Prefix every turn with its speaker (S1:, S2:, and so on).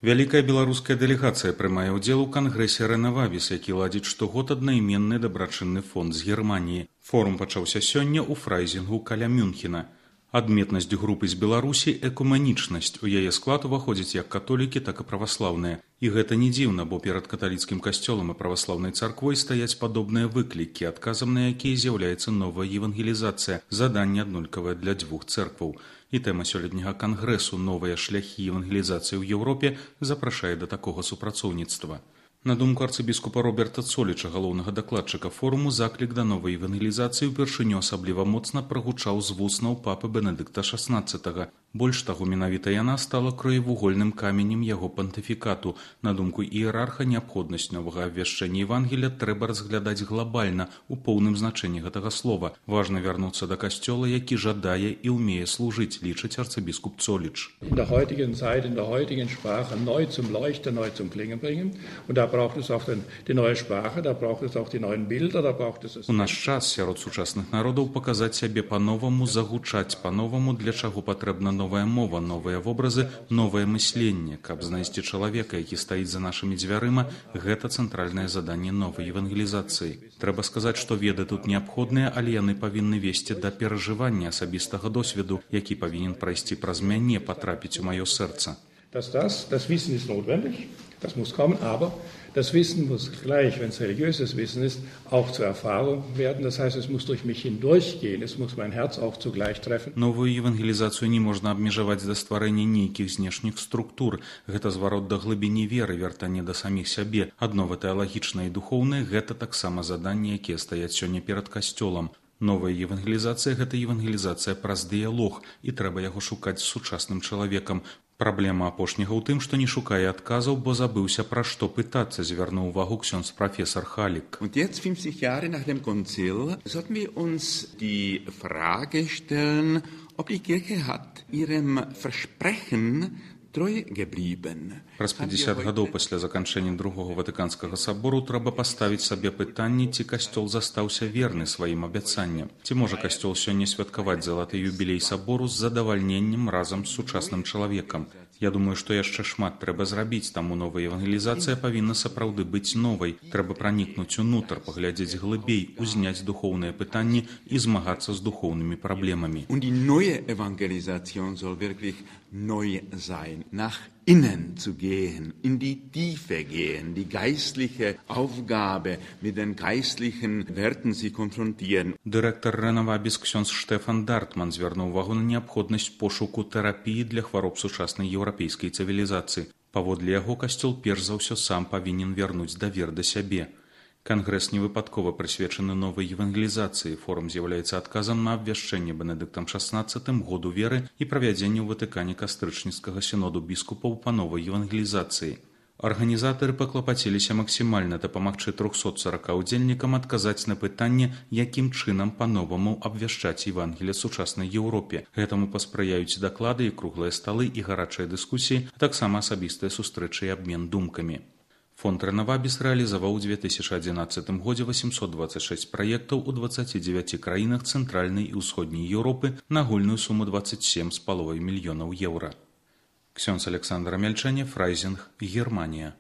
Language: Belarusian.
S1: Вялікая беларуская дэлегацыя прымае ўдзел у кангрэсе Рэнавабіс, які ладзіць штогод аднайменны дабрачынны фонд з Германіі. Форум пачаўся сёння ў Фрайзінгу каля Мюнхена. Адметнасць групы з Беларусі – экуменічнасць. У яе склад уваходзяць як католікі, так і праваслаўныя. І гэта не дзіўна, бо перад каталіцкім касцёлам і праваслаўнай царквой стаяць падобныя выклікі, адказам на якія з'яўляецца новая евангелізацыя, заданне аднолькавае для дзвюх цэркваў. І тэма сёлетняга кангрэсу «Новыя шляхі евангелізацыі ў Еўропе» запрашае да такога супрацоўніцтва. На думку арцыбіскупа Роберта Цоліча, галоўнага дакладчыка форуму, заклік да новай евангелізацыі ўпершыню асабліва моцна прагучаў з вуснаў папы Бенедыкта XVI. Больш таго, менавіта яна стала краевугольным каменем яго пантыфікату. На думку іерарха, неабходнасць новага абвяшчэння Евангелія трэба разглядаць глобальна, у поўным значэнні гэтага слова. Важна вярнуцца да касцёла, які жадае і ўмее служыць, лічыць арцыбіскуп Цоліч.
S2: In der heutigen Zeit, in der heutigen Sprache neu zum Leuchten, neu zum Klingen bringen. Und da braucht es auch die neue Sprache, da braucht es auch die neuen Bilder, da braucht es...
S1: У наш час сярод сучасных народаў паказаць сябе па-новаму, загучаць па-новаму, для чаго патрэбна новая мова, новыя вобразы, новае мысленне. Каб знайсці чалавека, які стаіць за нашымі дзвярыма, гэта цэнтральнае заданне новай евангелізацыі. Трэба сказаць, што веды тут неабходныя, але яны павінны весці да перажывання асабістага досведу, які павінен прайсці праз мяне, патрапіць у маё сэрца.
S2: Das Wissen ist notwendig, das muss kommen, aber das Wissen muss gleich, wenn es religiöses Wissen ist, auch zur Erfahrung werden. Das heißt, es muss durch mich hindurchgehen, es muss mein Herz auch zugleich treffen.
S1: Новую евангелізацыю не можна абмежаваць да стварэння нейкіх знешніх структур. Гэта зварот да глыбіні веры, вяртанне да саміх сябе. Аднова тэалагічнае і духоўнае – гэта таксама заданні, якія стаяць сёння перад касцёлам. Новая евангелізацыя – гэта евангелізацыя праз дыялог, і трэба яго шукаць з сучасным чалавекам. Праблема апошняга ў тым, што не шукае адказаў, бо забыўся, пра што пытацца, звярнуў увагу ксёндз прафесор Халік.
S3: Und jetzt, 50 Jahre nach dem Konzil, sollten wir uns die Frage stellen, ob die Kirche hat ihrem Versprechen treu geblieben.
S1: Праз 50 гадоў пасля заканчэння Другога Ватыканскага сабору трэба паставіць сабе пытанне, ці касцёл застаўся верны сваім абяцанням. Ці можа касцёл сёння святкаваць залаты юбілей сабору з задавальненнем разам з сучасным чалавекам? Я думаю, што яшчэ шмат трэба зрабіць, таму новая евангелізацыя павінна сапраўды быць новай. Трэба пранікнуць унутр, паглядзець глыбей, узняць духоўныя пытанні і змагацца з духоўнымі праблемамі.
S3: Und die neue Evangelisation soll wirklich neu sein, nach innen zu gehen, in die Tiefe gehen, die geistliche Aufgabe mit den geistlichen Werten sie konfrontieren.
S1: Дырэктар Рэнавабіс ксёндз Штефан Дартман звярнуў увагу на неабходнасць пошуку тэрапіі для хвароб сучаснай еўрапейскай цывілізацыі. Паводле яго касцёл перш за ўсё сам павінен вярнуць давер да сябе. Кангрэс не выпадкова прысвечаны новай евангелізацыі. Форум з'яўляецца адказам на абвяшчэнне Бенедыктам XVI году веры і правядзенне ў Ватыкане кастрычніцкага сіноду біскупаў па новай евангелізацыі. Арганізатары паклапаціліся максімальна дапамагчы 340 удзельнікам адказаць на пытанне, якім чынам па-новаму абвяшчаць Евангелие сучаснай Еўропе. Гэтаму паспрыяюць даклады і круглыя сталы і гарачыя дыскусіі, а таксама асабістыя сустрэчы і абмен думкамі. Фонд Рэнавабіс рэалізаваў у 2011 годзе 826 праектаў у 29 краінах цэнтральнай і ўсходняй Еўропы на агульную суму 27,5 мільёнаў еўра. Ксёндз Александр Мяльчане, Фрайзінг, Германія.